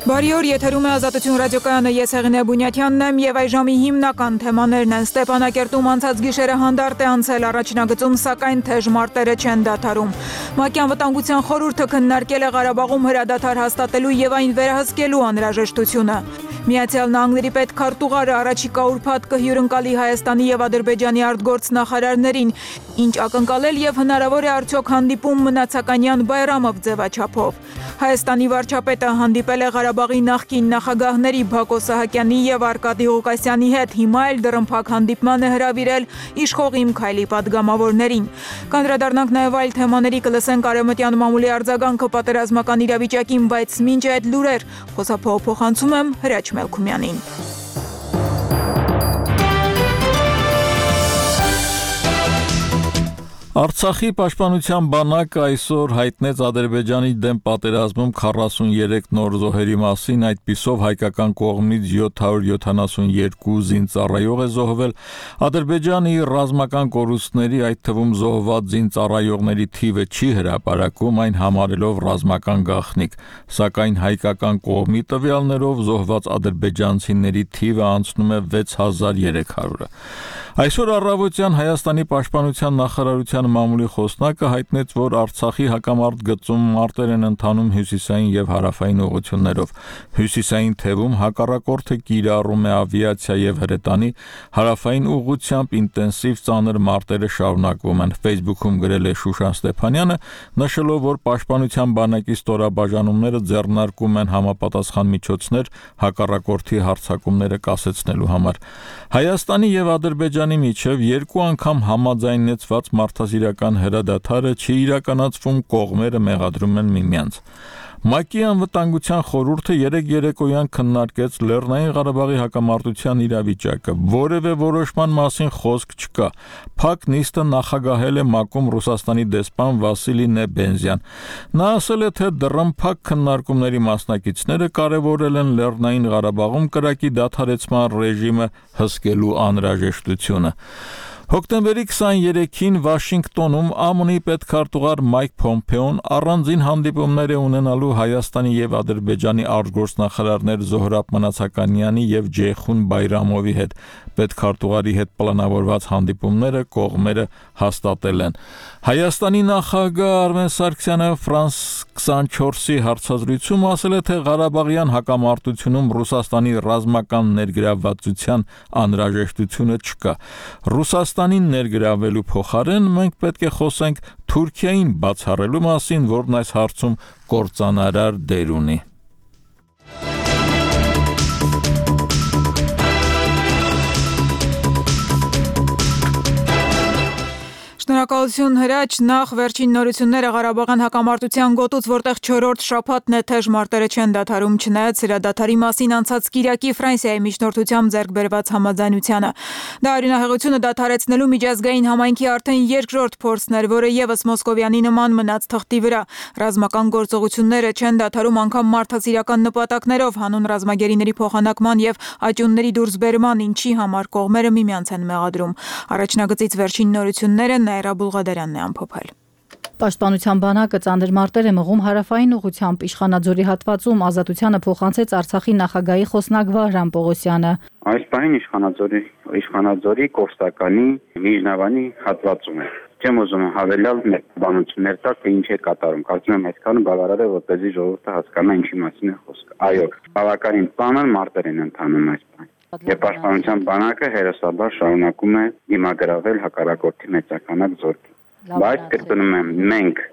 Բարի օր, եթերում է Ազատություն ռադիոկայանը, ես Հեղինե Բունյաթյանն եմ եւ այժմի հիմնական թեմաներն են. Ստեփանակերտում անցած գիշերը հանդարտ է անցել առաջնագծում, սակայն թեժ մարտերը չեն դադարում։ ՄԱԿ-ի անվտանգության խորհուրդը քննարկել է Ղարաբաղում հրադադար հաստատելու եւ այն վերահսկելու անհրաժեշտությունը։ Միացյալ Նահանգների պետքարտուղարը առաջիկա ուրբաթ կհյուրընկալի Հայաստանի եւ Ադրբեջանի արտգործնախարարներին, ինչ ակնկալել եւ հնարավոր է արդյոք հանդիպում Մնացականյան Բայրամով ձևաչափով։ Հայաստանի վարչապետը հանդիպել է Ղարաբաղի նախկին նախագահների Բակո Սահակյանի եւ Արկադի Ղուկասյանի հետ, հիմա էլ դռնփակ հանդիպման է հրավիրել իշխող Իմ Քայլի падգամավորներին։ Կանդրադառնանք նաեւ այլ թեմաների, կլսենք Արևմտյան մամուլի արձագանքը պատերազմական իրավիճակին, բայց մինչ այդ լուրեր խոսափողփոխանցում եմ Հրաչ Մելքումյանին։ Արցախի պաշտպանության բանակը այսօր հայտնեց Ադրբեջանի դեմ պատերազմում 43 նոր զոհերի մասին, այդպիսով հայկական կողմից 772 զինծառայող է զոհվել, Ադրբեջանի ռազմական կորուստների, այդ թվում զոհված զինծառայողների թիվը չի հրապարակում, այն համարելով ռազմական գաղտնիք, սակայն հայկական կողմի տվյալներով զոհված ադրբեջանցիների թիվը անցնում է 6300-ը։ Այսօր առավոտյան Հայաստանի պաշտպանության նախարարության մամուլի խոսնակը հայտնեց, որ Արցախի հակամարտ գծում մարտեր են ընթանում հյուսիսային եւ հարավային ուղղություններով։ Հյուսիսային թևում հակառակորդը կիրառում է ավիացիա եւ հրետանի, հարավային ուղղությամբ ինտենսիվ ծանր մարտերը շարունակվում են։ Facebook-ում գրել է Շուշան Ստեփանյանը, նշելով, որ պաշտպանության բանակի ստորաբաժանումները ձեռնարկում են համապատասխան միջոցներ հակառակորդի հարձակումները կասեցնելու համար։ Հայաստանի եւ Ադրբեջանի միջև երկու անգամ համաձայնեցված մարդասիրական հրադադարը չի իրականացվում, կողմերը մեղադրում են միմյանց։ ՄԱԿ-ի անվտանգության խորհուրդը երեկոյան քննարկեց Լեռնային Ղարաբաղի հակամարտության իրավիճակը։ Որևէ որոշման մասին խոսք չկա։ Փակ նիստը նախագահել է ՄԱԿ-ում Ռուսաստանի դեսպան Վասիլի Նեբենզյան։ Նա ասել է, թե դռնփակ քննարկումների մասնակիցները կարևորել են Լեռնային Ղարաբաղում կրակի դադարեցման ռեժիմը հսկելու անհրաժեշտությունը։ Հոկտեմբերի 23-ին Վաշինգտոնում ԱՄՆ-ի պետքարտուղար Մայք Փոմփեոն առանձին հանդիպումներ է ունենալու Հայաստանի եւ Ադրբեջանի արտգործնախարարներ Զոհրաբ Մնացականյանի եւ Ջեյխուն Բայրամովի հետ։ Պետքարտուղարի հետ պլանավորված հանդիպումները կողմերը հաստատել են։ Հայաստանի նախագահ Արմեն Սարգսյանը Ֆրանս 24-ի հարցազրույցում ասել է, թե Ղարաբաղյան հակամարտությունում Ռուսաստանի ռազմական ներգրավվածության անհրաժեշտությունը չկա։ Ռուսաստանին ներգրավելու փոխարեն մենք պետք է խոսենք Թուրքիային բացառելու մասին, որն այս հարցում կործանարար դեր ունի։ Շնորհակալություն Հրաչ, նախ վերջին նորությունները Ղարաբաղյան հակամարտության գոտուց, որտեղ 4-րդ շաբաթն է թեժ մարտերը չեն դադարում, չնայած հրադադարի մասին անցած կիրակի Ֆրանսիայի միջնորդությամբ ձեռք բերված համաձայնությանը։ Դա արյունահեղությունը դադարեցնելու միջազգային համայնքի արդեն երկրորդ փորձն էր, որը եւս Մոսկովյանի նման մնաց թղթի վրա։ Ռազմական գործողությունները չեն դադարում անգամ մարդասիրական նպատակներով, հանուն ռազմագերիների փոխանակման եւ աճյունների դուրսբերման, ինչի համար կողմերը միմյանց են մեղադրում։ Առաջնագծից վերջին նորությունները Նաիրա Բուլղադարյանն է ամփոփել։ Պաշտպանության բանակը ծանր մարտեր է մղում հարավային ուղղությամբ Իշխանաձորի հատվածում, Ազատությանը փոխանցեց Արցախի նախագահի խոսնակ Վահրամ Պողոսյանը։ Այս պահին Իշխանաձորի Կովստականի Միջնավանի հատվածում է։ Չեմ ուզում հավելյալ բանություններ տալ, թե ինչ է կատարում։ Կարծում եմ այսքանը բավարար է, որպեսզի ժողովուրդը հասկանա ինչի մասին է խոսքը։ Այո, բավականին ծանր մարտեր են ընթանում այս պահին։ Եվ պաշտպանության բանակը հերոսաբար շարունակում է դիմագրավել հակառակորդի մեծականակ զորքի։ Բայց կրկնում եմ, մենք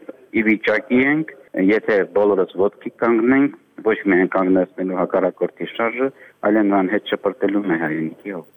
ի վիճակի ենք, եթե բոլորս ոտքի կանգնենք, ոչ միայն կանգնեցնելու հակառակորդի շարժը, այլ նրան հետ շպրտելու մեր հայրենիքի հող։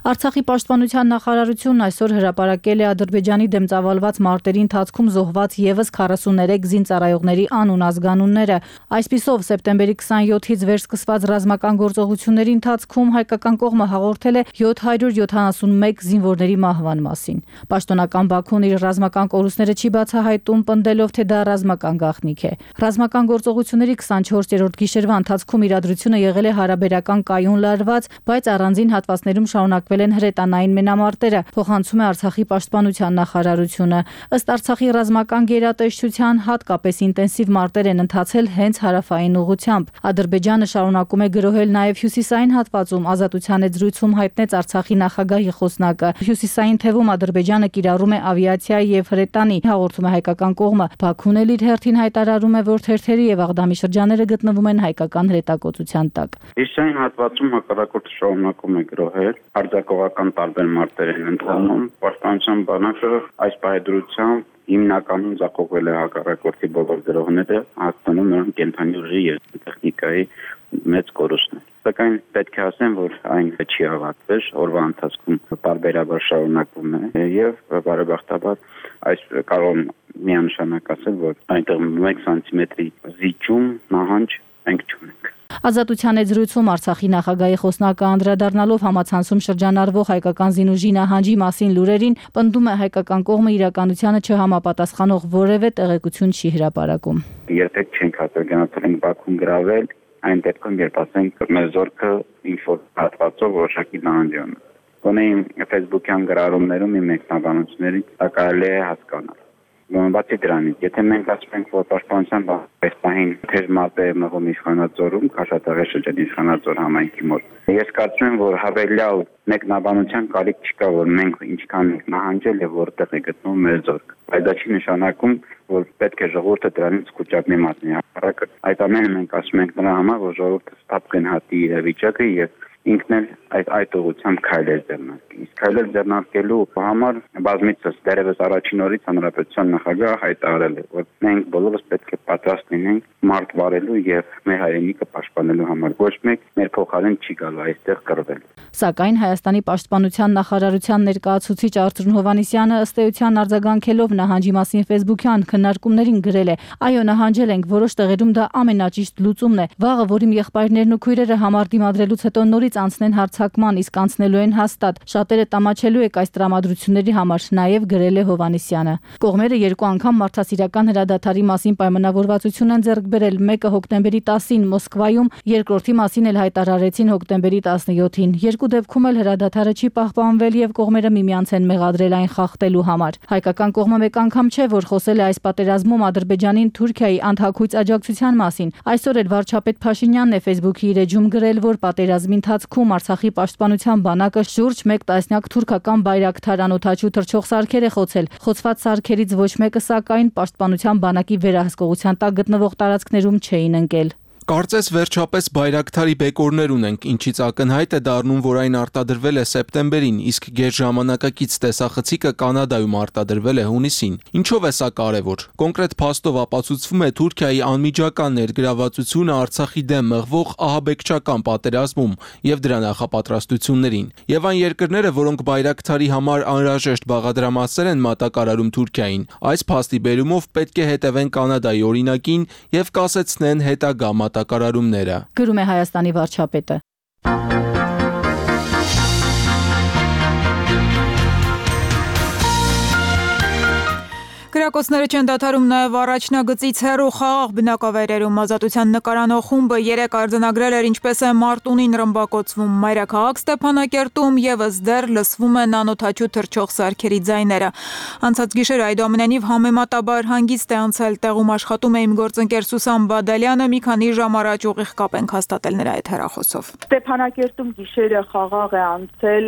Արցախի պաշտպանության նախարարությունն այսօր հրապարակել է Ադրբեջանի դեմ ծավալված մարտերի ընթացքում զոհված եւս 43 զինծառայողների անուն ազգանունները։ Այսպիսով, սեպտեմբերի 27-ից վեր սկսված ռազմական գործողությունների ընթացքում հայկական կողմը հաղորդել է 771 զինվորների մահվան մասին։ Պաշտոնական Բաքուն իր ռազմական կորուստները չի բացահայտում, պնդելով, թե դա ռազմական գաղտնիք է։ Ռազմական գործողությունների 24-րդ գիշերվա ընթացքում իրադրությունը եղել է հարաբերական կայուն լարված, բայց առանձին հատվածներում շարունակվել ձեռնարկվել են հրետանային մենամարտերը, փոխանցում է Արցախի պաշտպանության նախարարությունը։ Ըստ Արցախի ռազմական գերատեսչության, հատկապես ինտենսիվ մարտեր են ընթացել հենց հարավային ուղղությամբ։ Ադրբեջանը շարունակում է գրոհել նաև հյուսիսային հատվածում, Ազատության հետ զրույցում հայտնեց Արցախի նախագահի խոսնակը։ Հյուսիսային թևում Ադրբեջանը կիրառում է ավիացիայի եւ հրետանի, հաղորդում է հայկական կողմը։ Բաքուն էլ իր հերթին հայտարարում է, որ թերթերի եւ Աղդամի շրջանները գտնվում են հայկական հրետակոծության տակ։ Հյուսիսային հատվածում հակառակորդը շարունակում է գրոհել, հարձակողական տարբեր մարտեր են ընթանում, պաշտպանության բանակը այս պայդրությամբ հիմնականում ձախողվել է հակառակորդի բոլոր գրոհները, հաստատում նրան կենթանի ուժի եւ տեխնիկայի մեծ կորուստներ։ Սակայն պետք է ասեմ, որ այն չի ավարտվել, օրվա ընթացքում տարբերաբար շարունակվում է եւ բարեբախտաբար այս կարող միանշանակ ասել, որ այնտեղ 1 սանտիմետրի զիջում նահանջ մենք չունենք։ Ազատության հետ զրույցում Արցախի նախագահի խոսնակը անդրադառնալով համացանցում շրջանառվող հայկական զինուժի նահանջի մասին լուրերին, պնդում է հայկական կողմը իրականությանը չհամապատասխանող որևէ տեղեկություն չի հրապարակում։ Եթե չենք արձանագրել Բաքուն գրավել, այն դեպքում երբ ասենք մեր զորքը ինչ-որ հատվածով որոշակի նահանջան։ Գոնե իմ Facebook-յան գրառումներում իմ մեկնաբանություններից դա կարելի է հասկանալ։ Բացի դրանից, եթե մենք ասում ենք, որ պաշտպանության պահին թեժ մարտեր է մղում Իշխանաձորում, Քաշաթաղի շրջանի Իշխանաձոր համայնքի մոտ, ես կարծում եմ, որ հավելյալ մեկնաբանության կարիք չկա, որ մենք ինչքան ենք նահանջել եւ որտեղ է գտնվում մեր զորքը։ Բայց դա չի նշանակում, որ պետք է ժողովուրդը դրանից կուճապի մատնի։ Հակառակը, այդ ամենը մենք ասում ենք նրա համար, որ ժողովուրդը ստապ գնահատի իրավիճակը եւ ինքն էլ այդ ուղղությամբ քայլեր ձեռնարկի։ Իսկ քայլեր ձեռնարկելու համար բազմիցս դերևս առաջին օրից հանրապետության նախագահը հայտարարել է, որ մենք բոլորս պետք է պատրաստ լինենք մարդ վարելու եւ մեր հայրենիքը պաշտպանելու համար։ Ոչ մեկ մեր փոխարեն չի գալու այստեղ կռվել։ Սակայն Հայաստանի պաշտպանության նախարարության ներկայացուցիչ Արծրուն Հովհաննիսյանը ըստ էության արձագանքելով նահանջի մասին Facebook-յան քննարկումներին գրել է. «Այո, նահանջել ենք, որոշ տեղերում դա ամենաճիշտ լուծումն է։ Վաղը, որ իմ եղբայրներն ու քույրերը համար դիմադրելուց հետո նորից անցնեն հարձակման, իսկ անցնելու են հաստատ։ Շատերը տամաչելու եք այս տրամադրությունների համար», նաև գրել է Հովհաննիսյանը։ Կողմերը երկու անգամ մարդասիրական հրադադարի մասին պայմանավորվածություն են ձեռք բերել, մեկը հոկտեմբերի 10-ին Մոսկվայում, երկրորդի մասին էլ հայտարարեցին հոկտեմբերի 17-ին։ Երկու դեպքում էլ հրադադարը չի պահպանվել եւ կողմերը միմյանց են մեղադրել այն խախտելու համար։ Հայկական կողմը մեկ անգամ չէ, որ խոսել է այս պատերազմում Ադրբեջանին Թուրքիայի անթաքույց աջակցության մասին։ Այսօր էլ վարչապետ Փաշինյանն է Facebook-ի իր էջում գրել, որ պատերազմի ընթացքում Արցախի պաշտպանության բանակը շուրջ 1 տասնյակ թուրքական բայրակթար անօդաչու թռչող սարքեր է խոցել։ Խոցված սարքերից ոչ մեկը սակայն պաշտպանության բանակի վերահսկողության տակ գտնվող տարածքներում չէին ընկել։ Կարծես վերջապես բայրակթարի բեկորներ ունենք, ինչից ակնհայտ է դառնում, որ այն արտադրվել է սեպտեմբերին, իսկ գերժամանակակից տեսախցիկը Կանադայում արտադրվել է հունիսին։ Ինչով է սա կարևոր։ Կոնկրետ փաստով ապացուցվում է Թուրքիայի անմիջական ներգրավվածությունը Արցախի դեմ մղվող ահաբեկչական պատերազմում եւ դրա նախապատրաստություններին։ Եվ այն երկրները, որոնք բայրակթարի համար անհրաժեշտ բաղադրամասեր են մատակարարում Թուրքիային, այս փաստի բերումով պետք է հետևեն Կանադայի օրինակին եւ կասեցնեն հետագա մատակարարումները։ Գրում է Հայաստանի վարչապետը։ Կրակոցները չեն դադարում նաև առաջնագծից հեռու խաղաղ բնակավայրերում։ Ազատության նկարանող խումբը 3 արձանագրել էր ինչպես է Մարտունին ռմբակոծվում։ Մայրաքաղաք Ստեփանակերտում եւս դեռ լսվում են անօդաչու թռչող սարքերի ձայները։ Անցած գիշեր այդուամենայնիվ համեմատաբար հանգիստ է անցել։ Տեղում աշխատում է իմ գործընկեր Սուսան Բադալյանը, մի քանի ժամ առաջ ուղիղ կապ ենք հաստատել նրա հետ հեռախոսով։ Ստեփանակերտում գիշերը խաղաղ է անցել,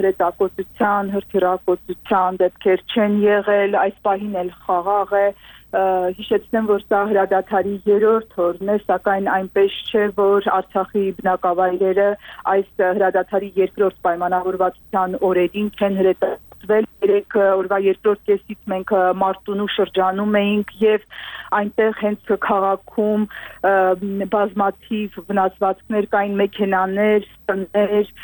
հրետակոծության, հրթիռակոծության դեպքեր չեն եղել, այս պահին էլ խաղաղ է, հիշեցնեմ, որ սա հրադադարի 3-րդ օրն է, սակայն այնպես չէ, որ Արցախի բնակավայրերը այս հրադադարի 2-րդ պայմանավորվածության օրերին չեն հրետակոծվել։ 3 օրվա 2-րդ կեսից մենք Մարտունու շրջանում էինք եւ այնտեղ հենց քաղաքում բազմաթիվ վնասվածքներ կային, մեքենաներ, տներ,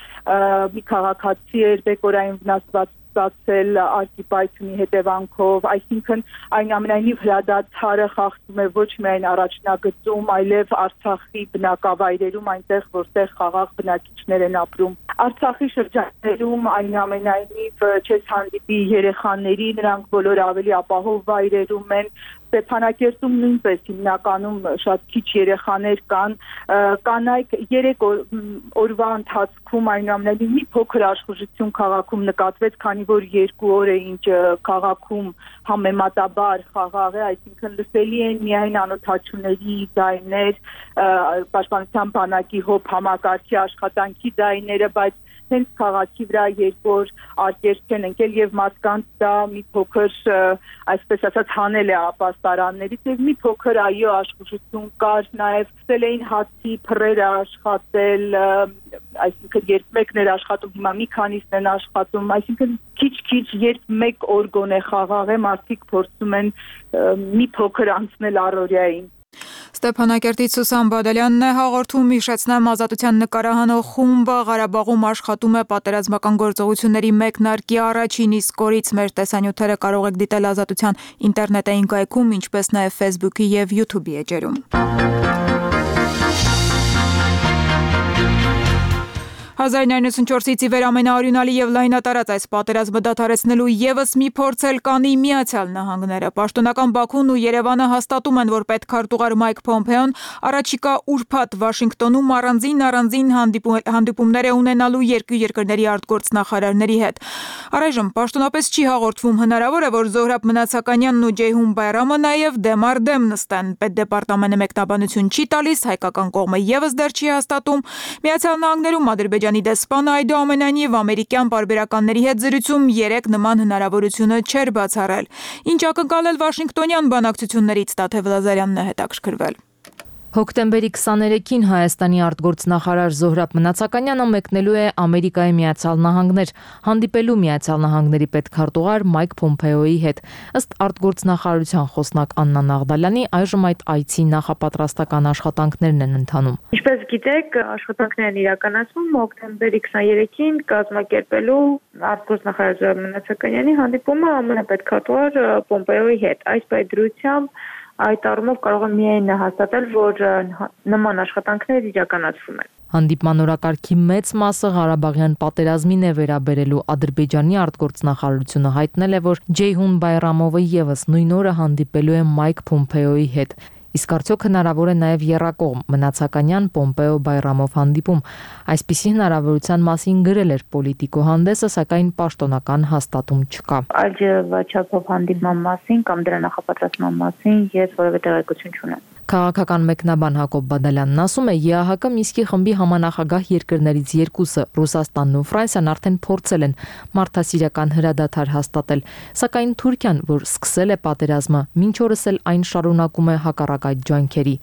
մի քաղաքացի էր բեկորային վնասված ստացել արտիպայթունի հետևանքով, այսինքն այնուամենայնիվ հրադադարը խախտում է ոչ միայն առաջնագծում, այլև Արցախի բնակավայրերում, այնտեղ որտեղ խաղաղ բնակիչներ են ապրում։ Արցախի շրջաններում այնուամենայնիվ չես հանդիպի երեխաների, նրանք բոլորը ավելի ապահով վայրերում են։ Ստեփանակերտում նույնպես հիմնականում շատ քիչ երեխաներ կան, կանայք 3 օրվա ընթացքում այնուամենայնիվ մի փոքր աշխուժություն քաղաքում նկատվեց, քանի որ 2 օր է ինչ քաղաքում համեմատաբար խաղաղ է, այսինքն լսելի են միայն անօթաչուների ձայներ, պաշտպանության բանակի հոբ համակարգի աշխատանքի ձայները, բայց հենց քաղաքի վրա 2 օր արկերտ չեն ընկել եւ մարդկանց դա մի փոքր, այսպես ասած, հանել է ապաստարաններից եւ մի փոքր այո աշխուժություն կար, նաեւ ցել էին հացի փռերը աշխատել, այսինքն երբ մեկն էր աշխատում, հիմա մի քանիսն են աշխատում, այսինքն քիչ-քիչ երբ 1 օր գոնե խաղաղ է, մարդիկ փորձում են մի փոքր անցնել առօրյային։ Ստեփանակերտից Սուսան Բադալյանն է հաղորդում, հիշեցնեմ ազատության նկարահանող խումբը Ղարաբաղում աշխատում է պատերազմական գործողությունների մեկնարկի առաջին իսկ օրից մեր տեսանյութերը կարող եք դիտել ազատության ինտերնետային կայքում, ինչպես նաև Facebook-ի եւ YouTube-ի էջերում։ 1994-ից ի վեր ամենաօրինալի եւ լայնատարած այս պատերազմը դադարեցնելու եւս մի փորձ էլ կանի Միացյալ Նահանգները։ Պաշտոնական Բաքուն ու Երևանը հաստատում են, որ պետքարտուղար Մայք Փոմփեոն առաջիկա ուրբաթ Վաշինգտոնում առանձին հանդիպումներ է ունենալու երկու երկրների արտգործնախարարների հետ։ Առայժմ պաշտոնապես չի հաղորդվում, հնարավոր է, որ Զոհրաբ Մնացականյանն ու Ջեյհուն Բայրամը նաեւ դեմ առ դեմ նստեն։ Պետդեպարտամենտը մեկնաբանություն չի տալիս, հայկական կողմը եւս դեռ չի հաստատում։ Միացյալ Նահանգներում Ադրբեջանի դեսպանը այդուամենայնիվ ամերիկյան պարբերականների հետ զրույցում 3 նման հնարավորությունը չէր բացառել։ Ինչ ակնկալել Վաշինգտոնյան բանակցություններից Տաթև Լազարյանն է հետաքրքրվել։ Հոկտեմբերի 23-ին Հայաստանի արտգործնախարար Զոհրաբ Մնացականյանը մեկնելու է Ամերիկայի Միացյալ Նահանգներ, հանդիպելու Միացյալ Նահանգների պետքարտուղար Մայք Փոմփեոյի հետ։ Ըստ արտգործնախարարության խոսնակ Աննա Նաղդալյանի, այժմ այդ այցի նախապատրաստական աշխատանքներն են ընթանում։ Ինչպես գիտեք, աշխատանքներն իրականացվում հոկտեմբերի 23-ին կազմակերպելու արտգործնախարար Զոհրաբ Մնացականյանի հանդիպումը ԱՄՆ պետքարտուղար Պոմպեոյի հետ։ Այս պայմանությամբ այդ առումով կարող եմ միայն հաստատել, որ նման աշխատանքներ իրականացվում են։ Հանդիպման օրակարգի մեծ մասը Ղարաբաղյան պատերազմին է վերաբերելու Ադրբեջանի արտգործնախարարությունը հայտնել է, որ Ջեյհուն Բայրամովը եւս նույն օրը հանդիպելու է Մայք Փոմփեոյի հետ։ Իսկ արդյոք հնարավոր է նաև եռակողմ Մնացականյան Պոմպեո Բայրամով հանդիպում։ Այսպիսի հնարավորության մասին գրել էր Պոլիտիկո հանդեսը, սակայն պաշտոնական հաստատում չկա։ Այլչափով հանդիպման մասին կամ դրա նախապատրաստման մասին ես որևէ տեղեկություն չունեմ։ Քաղաքական մեկնաբան Հակոբ Բադալյանն ասում է, ԵԱՀԿ Մինսկի խմբի համանախագահ երկրներից երկուսը, Ռուսաստանն ու Ֆրանսիան արդեն փորձել են մարդասիրական հրադադար հաստատել, սակայն Թուրքիան, որ սկսել է պատերազմը, մինչ օրս էլ այն շարունակում է հակառակ այդ ջանքերի։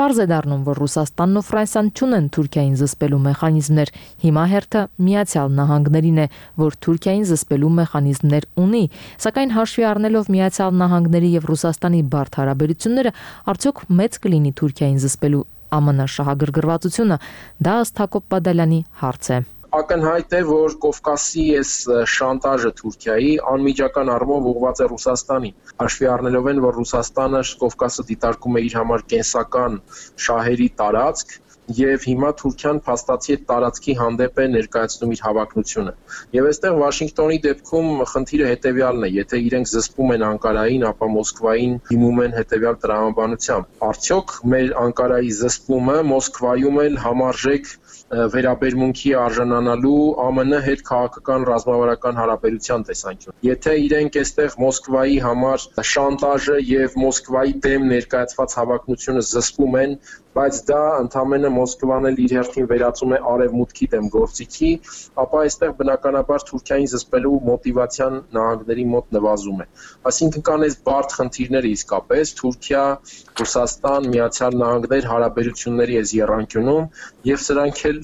Պարզ է դառնում, որ Ռուսաստանն ու Ֆրանսիան չունեն Թուրքիային զսպելու մեխանիզմներ։ Հիմա հերթը Միացյալ Նահանգներին է, որ Թուրքիային զսպելու մեխանիզմներ ունի, սակայն հաշվի առնելով Միացյալ Նահանգների եւ Ռուսաստանի բարդ հարաբերությունները, արդյոք մեծ կլինի Թուրքիային զսպելու ԱՄՆ շահագրգռվածությունը, դա ըստ Հակոբ Բադալյանի հարց է։ Ակնհայտ է, որ Կովկասի այս շանտաժը Թուրքիայի անմիջական առումով ուղղված է Ռուսաստանին։ Հաշվի առնելով են, որ Ռուսաստանը Կովկասը դիտարկում է իր համար կենսական շահերի տարածք, եւ հիմա Թուրքիան փաստացի այդ տարածքի հանդեպ է ներկայացնում իր հավակնությունը։ Եվ այստեղ Վաշինգտոնի դեպքում խնդիրը հետեւյալն է, եթե իրենք զսպում են Անկարային, ապա Մոսկվային դիմում են հետեւյալ տրամաբանությամբ։ Արդյոք մեր Անկարայի զսպումը Մոսկվայում էլ համարժեք վերաբերմունքի արժանանալու ԱՄՆ հետ քաղաքական ռազմավարական հարաբերության տեսանկյուն։ Եթե իրենք այստեղ Մոսկվայի համար շանտաժը եւ Մոսկվայի դեմ ներկայացված հավակնությունը զսպում են, բայց դա ընդամենը Մոսկվան էլ իր հերթին վերածում է արևմուտքի դեմ գործիքի, ապա այստեղ բնականաբար Թուրքիային զսպելու մոտիվացիան նահանգների մոտ նվազում է։ Այսինքն կան այս բարդ խնդիրները իսկապես Թուրքիա, Ռուսաստան, Միացյալ Նահանգներ հարաբերությունների այս եռանկյունում եւ սրանք էլ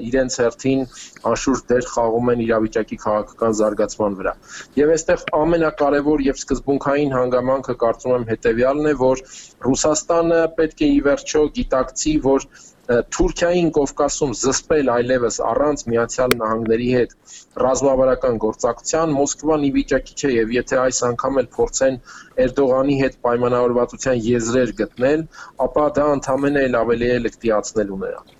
իրենց հերթին անշուշտ դեր խաղում են իրավիճակի քաղաքական զարգացման վրա։ Եվ այստեղ ամենակարևոր եւ սկզբունքային հանգամանքը կարծում եմ հետեւյալն է, որ Ռուսաստանը պետք է ի վերջո գիտակցի, որ Թուրքիային Կովկասում զսպել այլևս առանց Միացյալ Նահանգների հետ ռազմավարական գործակցության Մոսկվան ի վիճակի չէ, եւ եթե այս անգամ էլ փորձեն Էրդողանի հետ պայմանավորվածության եզրեր գտնել, ապա դա ընդհանրապես էլ ավելի է լկտիացնելու նրան։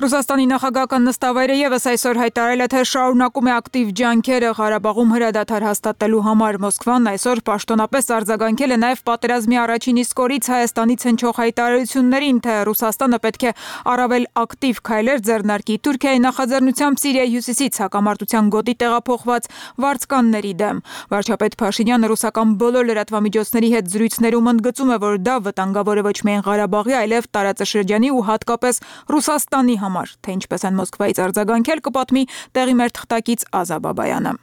Ռուսաստանի նախագահական նստավայրը եւս այսօր հայտարարել է, թե շարունակում է ակտիվ ջանքերը Ղարաբաղում հրադադար հաստատելու համար։ Մոսկվան այսօր պաշտոնապես արձագանքել է նաեւ պատերազմի առաջին իսկ օրից Հայաստանից հնչող հայտարարություններին, թե Ռուսաստանը պետք է առավել ակտիվ քայլեր ձեռնարկի Թուրքիայի նախաձեռնությամբ Սիրիայի հյուսիսից հակամարտության գոտի տեղափոխված վարձկանների դեմ։ Վարչապետ Փաշինյանը ռուսական բոլոր լրատվամիջոցների հետ զրույցներում ընդգծում է, որ դա վտանգավոր է ոչ միայն Ղարաբաղի, այլև տարածաշրջանի ու հատկապես Ռուսաստանի թե ինչպես են Մոսկվայից արձագանքել, կպատմի տեղի մեր թղթակից Ազա Բաբայանը։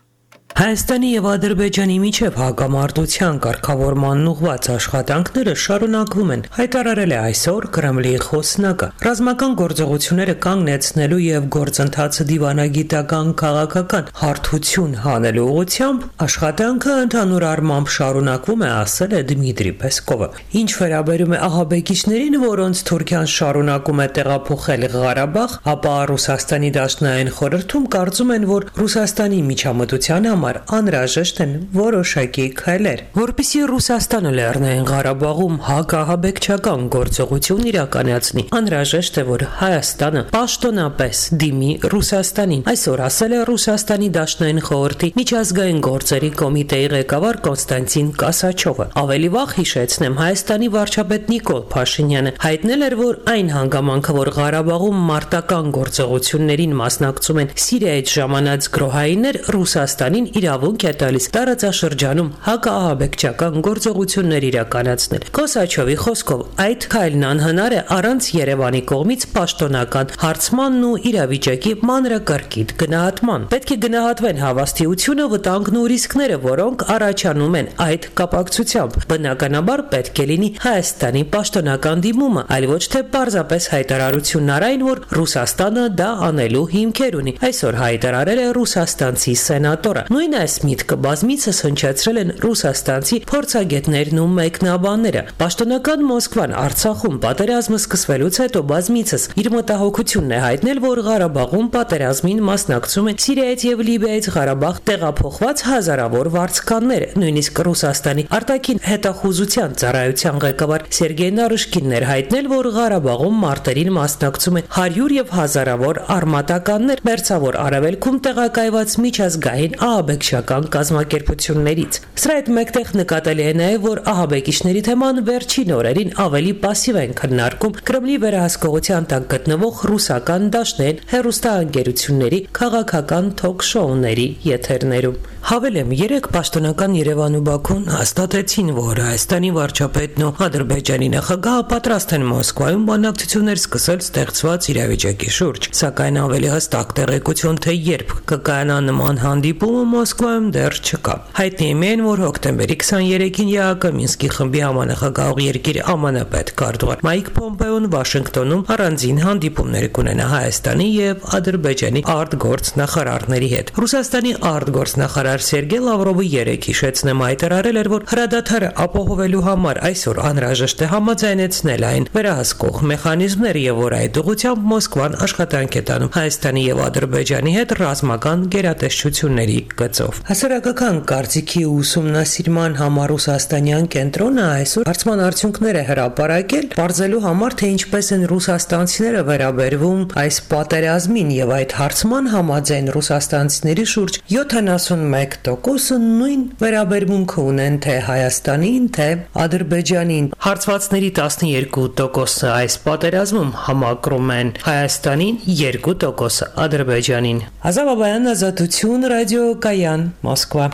Հայաստանի եւ Ադրբեջանի միջև հակամարտության կարգավորման ուղղված աշխատանքները շարունակվում են, հայտարարել է այսօր Կրեմլի խոսնակը։ Ռազմական գործողությունները կանգնեցնելու եւ գործընթացը դիվանագիտական քաղաքական հարթություն հանելու ուղղությամբ աշխատանքը ընդհանուր առմամբ շարունակվում է, ասել է Դմիտրի Պեսկովը։ Ինչ վերաբերում է ահաբեկիչներին, որոնց Թուրքիան շարունակում է տեղափոխել Ղարաբաղ, ապա Ռուսաստանի Դաշնային խորհրդում կարծում են, որ Ռուսաստանի միջամտության անհրաժեշտ են որոշակի քայլեր, որպեսզի Ռուսաստանը Լեռնային Ղարաբաղում հակահաբեկչական գործողություն իրականացնի։ Անհրաժեշտ է, որ Հայաստանը պաշտոնապես դիմի Ռուսաստանին, այսօր ասել է Ռուսաստանի Դաշնային խորհրդի միջազգային գործերի կոմիտեի ղեկավար Կոնստանտին Կասաչովը։ Ավելի վաղ հիշեցնեմ, Հայաստանի վարչապետ Նիկոլ Փաշինյանը հայտնել էր, որ այն հանգամանքը, որ Ղարաբաղում մարտական գործողություններին մասնակցում են Սիրիայից ժամանած գրոհայիններ, Ռուսաստանին իրավունք է տալիս տարածաշրջանում հակաահաբեկչական գործողություններ իրականացնել։ Կոսաչովի խոսքով այդ քայլն անհնար է առանց Երևանի կողմից պաշտոնական հարցմանն ու իրավիճակի մանրակարգիտ գնահատման։ Պետք է գնահատվեն հավաստիությունը, վտանգն ու ռիսկները, որոնք առաջանում են այդ կապակցությամբ։ Բնականաբար պետք է լինի Հայաստանի պաշտոնական դիմումը, այլ ոչ թե պարզապես հայտարարությունն այն, որ Ռուսաստանը դա անելու հիմքեր ունի։ Այսօր հայտարարել է ռուսաստանցի սենատորը։ Նույն այս միտքը բազմիցս հնչեցրել են ռուսաստանցի փորձագետներն ու մեկնաբանները։ Պաշտոնական Մոսկվան Արցախում պատերազմը սկսվելուց հետո բազմիցս իր մտահոգությունն է հայտնել, որ Ղարաբաղում պատերազմին մասնակցում են Սիրիայից եւ Լիբիայից Ղարաբաղ տեղափոխված հազարավոր վարձկաններ։ Նույնիսկ Ռուսաստանի արտաքին հետախուզության ծառայության ղեկավար Սերգեյ Նարուշկինն էր հայտնել, որ Ղարաբաղում մարտերին մասնակցում են 100 եւ հազարավոր արմատականներ, Մերձավոր Արևելքում տեղակայված միջազգային ահաբեկչական կազմակերպություններից։ Սրա հետ մեկտեղ նկատելի է նաև, որ ահաբեկիչների թեման վերջին օրերին ավելի պասիվ են քննարկում Կրեմլի վերահսկողության տակ գտնվող ռուսական դաշնային հեռուստաընկերությունների քաղաքական թոք-շոուների եթերներում։ Հավելեմ, 3 պաշտոնական Երևան ու Բաքուն հաստատեցին, որ Հայաստանի վարչապետն ու Ադրբեջանի նախագահը պատրաստ են Մոսկվայում բանակցություններ սկսել ստեղծված իրավիճակի շուրջ, սակայն ավելի հստակ տեղեկություն, թե երբ կկայանա նման հանդիպումը Մոսկվայում դեռ չկա։ Հայտնի է միայն, որ հոկտեմբերի 23-ին ԵԱՀԿ Մինսկի խմբի համանախագահող երկիր ԱՄՆ պետքարտուղար Մայք Պոմպեոն Վաշինգտոնում առանձին հանդիպումներ կունենա Հայաստանի եւ Ադրբեջանի արտգործնախարարների հետ։ Ռուսաստանի արտգործնախարար Սերգեյ Լավրովը երեկ հիշեցնեմ հայտարարել էր, որ հրադադարը ապահովելու համար այսօր անհրաժեշտ է համաձայնեցնել այն վերահսկող մեխանիզմներ եւ որ այդ ուղղությամբ Մոսկվան աշխատանք է տանում Հայաստանի եւ Ադրբեջանի հետ ռազմական գերատեսչությունների գծով։ Հասարակական կարծիքի ուսումնասիրման համար ռուսաստանյան կենտրոնը այսօր հարցման արդյունքներ է հրապարակել, բարձելու համար, թե ինչպես են ռուսաստանցիները վերաբերվում այս պատերազմին եւ այդ հարցման համաձայն ռուսաստանցիների շուրջ 71% նույն վերաբերմունքը ունեն թե Հայաստանին, թե Ադրբեջանին։ Հարցվածների 12% այս պատերազմում համակրում են Հայաստանին, 2% Ադրբեջանին։ Ազա Բաբայան, Ազատություն, Ռադիո Կայան, Մոսկվա։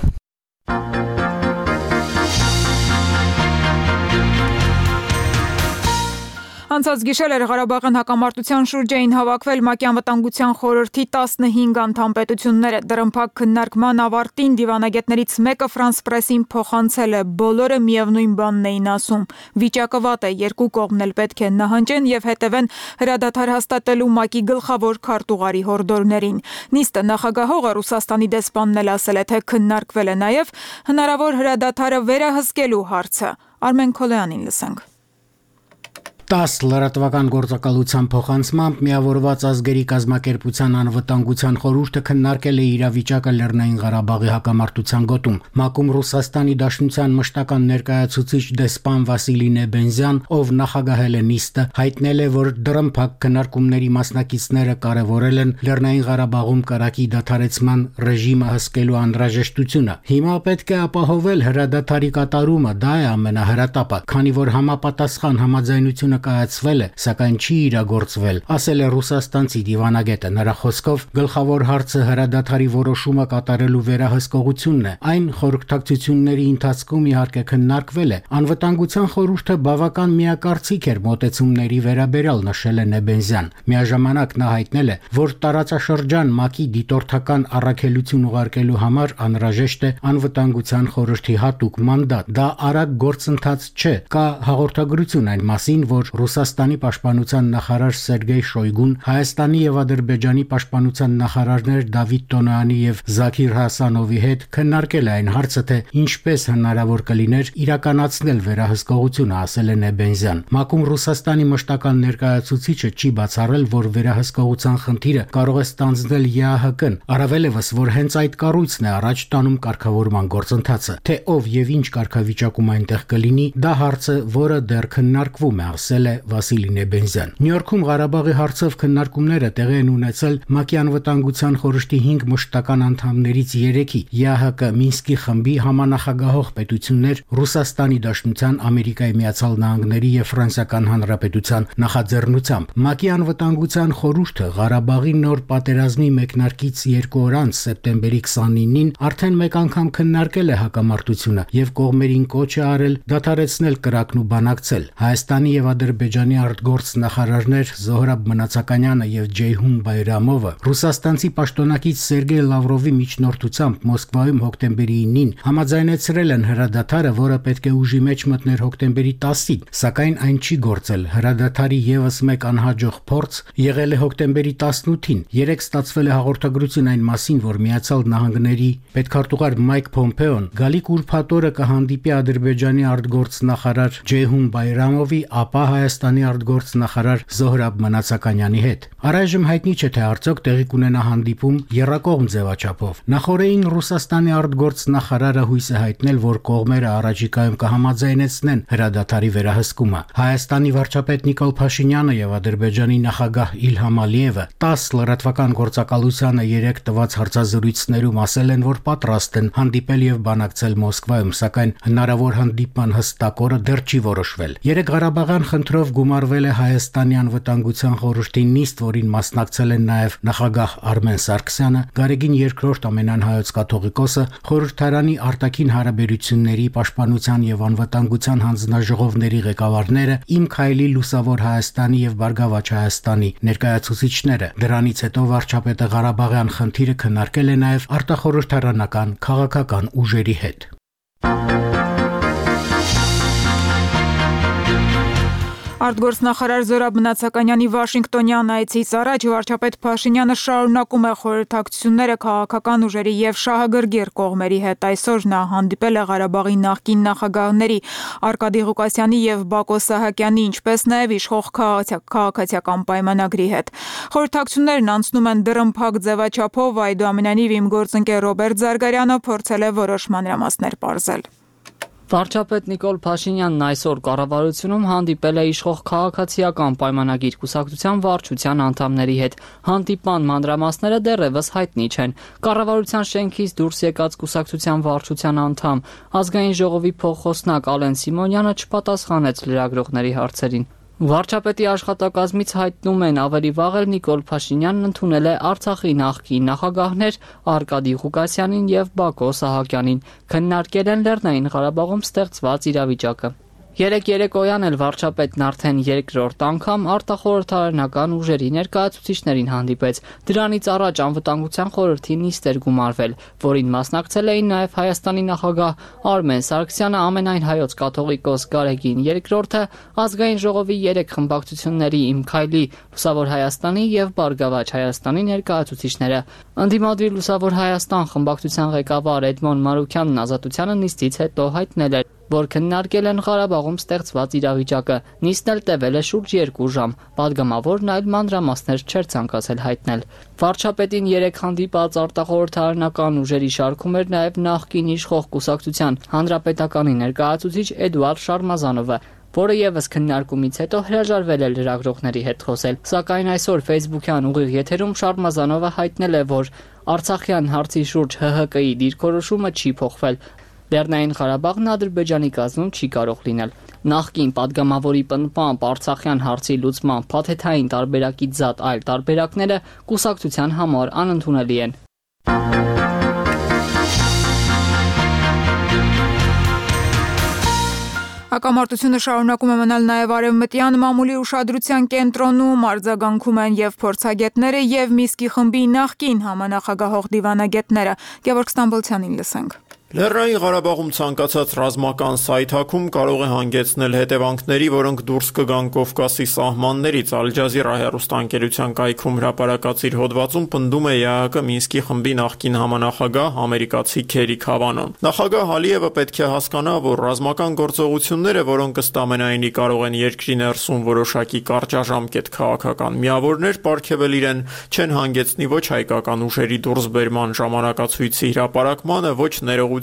Անցած գիշեր էր Ղարաբաղյան հակամարտության շուրջ էին հավաքվել ՄԱԿ-ի անվտանգության խորհրդի 15 անդամ պետությունները։ Դրամփակ քննարկման ավարտին դիվանագետներից մեկը Ֆրանս Պրեսին փոխանցել է. բոլորը միևնույն բանն էին ասում. վիճակը վատ է, երկու կողմն էլ պետք է նահանջեն եւ հետևեն հրադադար հաստատելու ՄԱԿ-ի գլխավոր քարտուղարի հորդորներին։ Նիստը նախագահողը Ռուսաստանի դեսպանն էլ ասել է, թե քննարկվել է նաեւ հնարավոր հրադադարը վերահսկելու հարցը։ Արմեն Քոլյանին լսենք։ 10 լրատվական գործակալության փոխանցմամբ միավորված ազգերի կազմակերպության անվտանգության խորհուրդը քննարկել է իրավիճակը Լեռնային Ղարաբաղի հակամարտության գոտում։ ՄԱԿ-ում Ռուսաստանի Դաշնության մշտական ներկայացուցիչ դեսպան Վասիլի Նեբենզյան, ով նախագահել է նիստը, հայտնել է, որ դրամփակ քննարկումների մասնակիցները կարևորել են Լեռնային Ղարաբաղում կրակի դադարեցման ռեժիմը հսկելու անհրաժեշտությունը։ Հիմա պետք է ապահովել հրադադարի կատարումը, դա է ամենահրատապը, քանի որ համապատասխան համաձայնությունը կայացվել է, սակայն չի իրագործվել, ասել է ռուսաստանցի դիվանագետը։ Նրա խոսքով գլխավոր հարցը հրադադարի որոշումը կատարելու վերահսկողությունն է։ Այն խորհրդակցությունների ընթացքում իհարկե քննարկվել է։ Անվտանգության խորհուրդը բավական միակարծիք էր մոտեցումների վերաբերյալ, նշել է Նեբենզյան։ Միաժամանակ նա հայտնել է, որ տարածաշրջան ՄԱԿ-ի դիտորդական առաքելություն ուղարկելու համար անհրաժեշտ է անվտանգության խորհրդի հատուկ մանդատ։ Դա արագ գործընթաց չէ։ Կա հաղորդագրություն այն մասին, որ Ռուսաստանի պաշտպանության նախարար Սերգեյ Շոյգուն, Հայաստանի եւ Ադրբեջանի պաշտպանության նախարարներ Դավիթ Տոնոյանի եւ Զաքիր Հասանովի հետ քննարկել է այն հարցը, թե ինչպես հնարավոր կլիներ իրականացնել վերահսկողությունը, ասել է Նեբենզյան։ ՄԱԿ-ում Ռուսաստանի մշտական ներկայացուցիչը չի բացառել, որ վերահսկողության խնդիրը կարող է ստանձնել ԵԱՀԿ-ն, առավելևս, որ հենց այդ կառույցն է առաջ տանում կարգավորման գործընթացը։ Թե ով եւ ինչ կարգավիճակում այնտեղ կլինի, դա հարց է, որը դեռ քննարկվում է, ասել է Վասիլի Նեբենզյան։ Նյու Յորքում Ղարաբաղի հարցով քննարկումները տեղի են ունեցել ՄԱԿ-ի անվտանգության խորհրդի 5 մշտական անդամներից 3-ի՝ ԵԱՀԿ Մինսկի խմբի համանախագահող պետություններ, Ռուսաստանի Դաշնության, Ամերիկայի Միացյալ Նահանգների եւ Ֆրանսիական Հանրապետության նախաձեռնությամբ։ ՄԱԿ-ի անվտանգության խորհուրդը Ղարաբաղի նոր պատերազմի մեկնարկից 2 օր անց սեպտեմբերի 29-ին արդեն մեկ անգամ քննարկել է հակամարտությունը եւ կողմերին կոչ է արել դադարեցնել կրակն ու բանակցել։ Հայաստանի եւ Ադրբեջանի արտգործնախարարներ Զոհրաբ Մնացականյանը եւ Ջեյհուն Բայրամովը ռուսաստանցի պաշտոնակից Սերգեյ Լավրովի միջնորդությամբ Մոսկվայում հոկտեմբերի 9-ին համաձայնեցրել են հրադադարը, որը պետք է ուժի մեջ մտներ հոկտեմբերի 10-ին, սակայն այն չի գործել։ Հրադադարի եւս մեկ անհաջող փորձ եղել է հոկտեմբերի 18-ին։ Երեք ստացվել է հաղորդագրություն այն մասին, որ Միացյալ Նահանգների պետքարտուղար Մայք Փոմպեոն գալիք ուրբաթ օրը կհանդիպի Ադրբեջանի արտգործնախարար Ջեյհուն Բայրամովի, ապա Հայաստանի արտգործնախարար Զոհրաբ Մնացականյանի հետ։ Առայժմ հայտնի չէ, թե արդյոք տեղի կունենա հանդիպում եռակողմ ձևաչափով։ Նախորդին Ռուսաստանի արտգործնախարարը հույս է հայտնել, որ կողմերը առաջիկայում կհամաձայնեցնեն հրադադարի վերահսկումը։ Հայաստանի վարչապետ Նիկոլ Փաշինյանը եւ Ադրբեջանի նախագահ Իլհամ Ալիևը 10 լրատվական գործակալությանը 3 տված հարցազրույցներում ասել են, որ պատրաստ են հանդիպել եւ բանակցել Մոսկվայում, սակայն հնարավոր հանդիպման հստակ օրը դեռ չի որոշվել։ Երեք Ղարաբաղյան խնդրով գումարվել է Հայաստանի անվտանգության խորհրդի նիստ, որին մասնակցել են նաև նախագահ Արմեն Սարգսյանը, Գարեգին II ամենանհայոց կաթողիկոսը, խորհրդարանի արտաքին հարաբերությունների, պաշտպանության եւ անվտանգության հանձնաժողովների ղեկավարները, Իմ քայլի լուսավոր Հայաստանի եւ Բարգավաճ Հայաստանի ներկայացուցիչները։ Դրանից հետո վարչապետը Ղարաբաղյան խնդիրը քննարկել է նաև արտախորհրդարանական քաղաքական ուժերի հետ։ Արտգործնախարար Զոհրաբ Մնացականյանի Վաշինգտոնյան այցից առաջ վարչապետ Փաշինյանը շարունակում է խորհրդակցությունները քաղաքական ուժերի եւ շահագրգիռ կողմերի հետ։ Այսօր նա հանդիպել է Ղարաբաղի նախկին նախագահների Արկադի Ղուկասյանի եւ Բակո Սահակյանի, ինչպես նաեւ իշխող քաղաքացիական պայմանագրի հետ։ Խորհրդակցություններն անցնում են դրամփակ ձևաչափով, այդուամենայնիվ իմ գործընկեր Ռոբերտ Զարգարյանը փորձել է որոշ մանրամասներ պարզել։ Վարչապետ Նիկոլ Փաշինյանն այսօր կառավարությունում հանդիպել է իշխող քաղաքացիական պայմանագիր կուսակցության վարչության անդամների հետ։ Հանդիպման մանրամասները դեռևս հայտնի չեն։ Կառավարության շենքից դուրս եկած կուսակցության վարչության անդամ ազգային ժողովի փոխխոսնակ Ալեն Սիմոնյանը չպատասխանեց լրագրողների հարցերին։ Վարչապետի աշխատակազմից հայտնում են ավելի վաղ էլ Նիկոլ Փաշինյանն ընդունել է Արցախի նախկին նախագահներ Արկադի Ղուկասյանին եւ Բակո Սահակյանին, քննարկել են Լեռնային Ղարաբաղում ստեղծված իրավիճակը։ Երեկ երեկոյան էլ վարչապետն արդեն երկրորդ անգամ արտախորհրդարանական ուժերի ներկայացուցիչներին հանդիպեց։ Դրանից առաջ անվտանգության խորհրդի նիստ էր գումարվել, որին մասնակցել էին նաև Հայաստանի նախագահ Արմեն Սարգսյանը, ամենայն հայոց կաթողիկոս Գարեգին II, ազգային ժողովի 3 խմբակցությունների Իմ Քայլի, Լուսավոր Հայաստանի եւ Բարգավաճ Հայաստանի ներկայացուցիչները։ Ընդդիմադիր Լուսավոր Հայաստան խմբակցության ղեկավար Էդմոն Մանուկյանն Ազատությանը նիստից հետո հայտնել էր, որ քննարկել են Ղարաբաղում ստեղծված իրավիճակը։ Նիստն էլ տևել է շուրջ 2 ժամ։ Պատգամավորն այլ մանրամասներ չէր ցանկացել հայտնել։ Վարչապետին 3 հանդիպած արտախորհրդարանական ուժերի շարքում էր նաև նախկին իշխող կուսակցության հանրապետականի ներկայացուցիչ Էդուարդ Շարմազանովը, որը եւս քննարկումից հետո հրաժարվել է լրագրողների հետ խոսել։ Սակայն այսօր Facebook-յան ուղիղ եթերում Շարմազանովը հայտնել է, որ Արցախյան հարցի շուրջ ՀՀԿ-ի դիրքորոշումը չի փոխվել։ Լեռնային Ղարաբաղն Ադրբեջանի կազմում չի կարող լինել։ Նախկին падգամավորի պնդմամբ Արցախյան հարցի լուծման փաթեթային տարբերակից զատ այլ տարբերակները կուսակցության համար անընդունելի են։ Հակամարտությունը շարունակում է մնալ նաև արևմտյան մամուլի ուշադրության կենտրոնում, արձագանքում են եւ փորձագետները եւ Միսկի խմբի նախկին համանախագահող դիվանագետները։ Գևորգ Ստամբոլցյանին լսենք։ Լեռնային Ղարաբաղում ցանկացած ռազմական սայթակում կարող է հանգեցնել հետևանքների, որոնք դուրս կգան Կովկասի սահմաններից։ Ալ-Ջազիրա հեռուստաընկերության կայքում հրապարակած իր հոդվածում պնդում է ԵԱՀԿ Մինսկի խմբի նախկին համանախագահ ամերիկացի Քերի Քավանոն։ Նախագահ Ալիևը պետք է հասկանա, որ ռազմական գործողությունները, որոնք ըստ ամենայնի կարող են երկրի ներսում որոշակի կարճաժամկետ քաղաքական միավորներ պարգևել իրեն, չեն հանգեցնի ոչ հայկական ուժերի դուրսբերման ժամանակացույցի հրապարակմանը, ոչ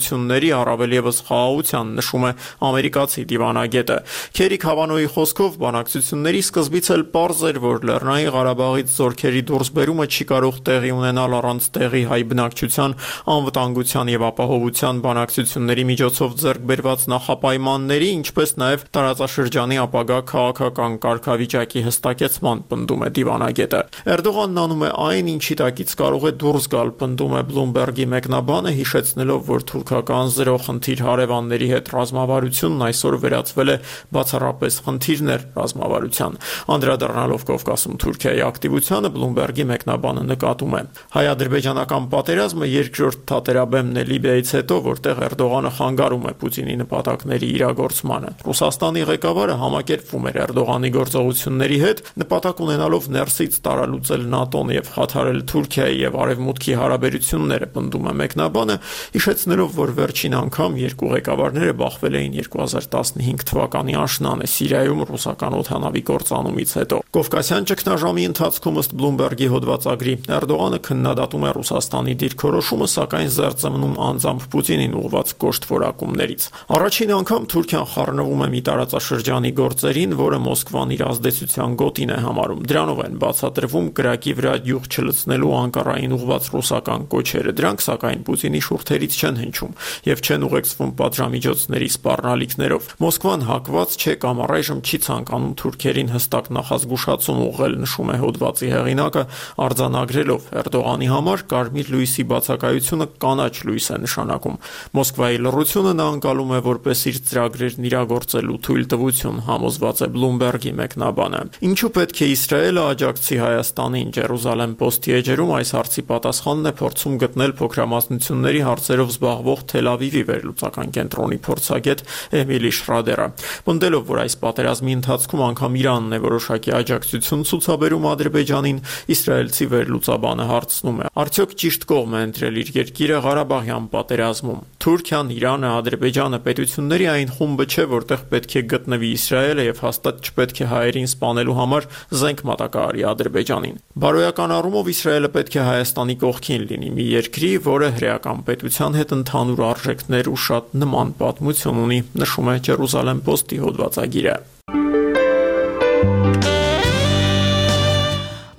ներողությունների, առավել ևս խաղաղության, նշում է ամերիկացի դիվանագետը։ Քերի Քավանոյի խոսքով բանակցությունների սկզբից էլ պարզ էր, որ Լեռնային Ղարաբաղից զորքերի դուրսբերումը չի կարող տեղի ունենալ առանց տեղի հայ բնակչության անվտանգության եւ ապահովության բանակցությունների միջոցով ձեռք բերված նախապայմանների, ինչպես նաեւ տարածաշրջանի ապագա քաղաքական կարգավիճակի հստակեցման, պնդում է դիվանագետը։ Էրդողանն անում է այն, ինչի տակից կարող է դուրս գալ, պնդում է Bloomberg-ի մեկնաբանը, հիշեցնելով, որ թուրքական զրո խնդիր հարևանների հետ ռազմավարությունն այսօր վերածվել է բացառապես խնդիրներ ռազմավարության։ Անդրադառնալով Կովկասում Թուրքիայի ակտիվությանը, Bloomberg-ի մեկնաբանը նկատում է. հայ-ադրբեջանական պատերազմը երկրորդ թատերաբեմն է Լիբիայից հետո, որտեղ Էրդողանը խանգարում է Պուտինի նպատակների իրագործմանը։ Ռուսաստանի ղեկավարը համակերպվում էր Էրդողանի գործողությունների հետ, նպատակ ունենալով ներսից տարալուծել ՆԱՏՕ-ն եւ խաթարել Թուրքիայի եւ Արևմուտքի հարաբերությունները, պնդում է մեկնաբանը, հիշեցնելով, որ վերջին անգամ երկու ղեկավարները բախվել էին 2015 թվականի աշնանը Սիրիայում ռուսական օդանավի կործանումից հետո։ Կովկասյան ճգնաժամի ընթացքում ըստ Bloomberg-ի հոդվածագրի Էրդողանը քննադատում է Ռուսաստանի դիրքորոշումը, սակայն զերծմնում անձամբ Պուտինին ուղղված կոշտ որակումներից։ Առաջին անգամ Թուրքիան խառնվում է մի տարածաշրջանի գործերին, որը Մոսկվան իր ազդեցության գոտին է համարում։ Դրանով են բացատրվում կրակի վրա յուղ չլցնելու Անկարային ուղղված ռուսական կոչերը։ Դրանք սակայն Պուտինի շուրթերից չեն հնչում եւ չեն ուղեկցվում պատժամիջոցների սպառնալիքներով։ Մոսկվան հակված չէ կամ առայժմ չի ցանկանում թուրքերին հստակ նախազգուշացում ուղղել, նշում է հոդվածի հեղինակը, արձանագրելով Էրդողանի համար կարմիր լույսի բացակայությունը կանաչ լույս է նշանակում։ Մոսկվայի լռությունը նա անցալում է որպես իր ծրագրերն իրագործելու թույլտվություն, համոզված է Bloomberg-ի մեկնաբանը։ Ինչու պետք է Իսրայելը աջակցի Հայաստանին? Jerusalem Post-ի էջերում այս հարցի պատասխանն է փորձում գտնել փոքրամասնությունների հարցերով զբաղվող Թել Ավիվի վերլուծական կենտրոնի փորձագետ Էմիլի Շրադերը։ Պնդելով, որ այս պատերազմի ընթացքում անգամ Իրանն է որոշակի աջակցություն ցուցաբերում Ադրբեջանին, իսրայելցի վերլուծաբանը հարցնում է. արդյոք ճիշտ կողմ է ընտրել իր երկիրը Ղարաբաղյան պատերազմում։ Թուրքիան, Իրանը, Ադրբեջանը պետությունների այն խումբը չէ, որտեղ պետք է գտնվի Իսրայելը եւ հաստատ չպետք է հայերին սպանելու համար զենք մատակարարի Ադրբեջանին։ Բարոյական առումով Իսրայելը պետք է Հայաստանի կողքին լինի, մի երկրի, որը հրեական պետության հետ ընդհանուր արժեքներ ու շատ նման պատմություն ունի, նշում է Jerusalem Post-ի հոդվածագիրը։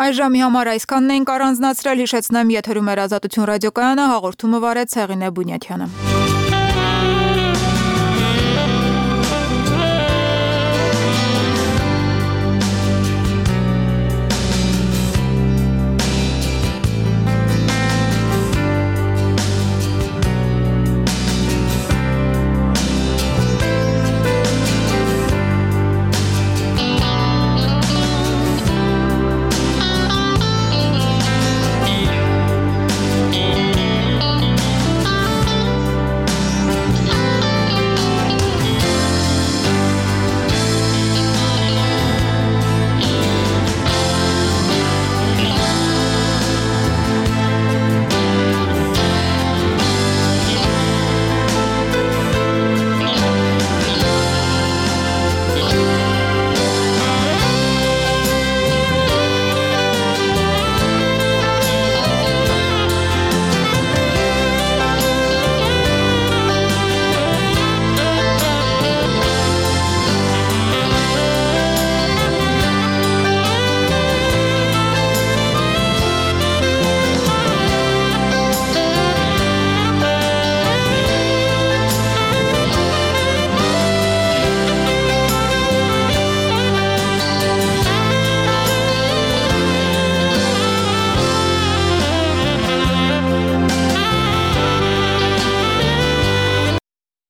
Այս ժամի համար այսքանն ենք առանձնացրել, հիշեցնեմ, եթերում էր Ազատություն ռադիոկայանը, հաղորդումը վարեց Հեղինե Բունյաթյանը։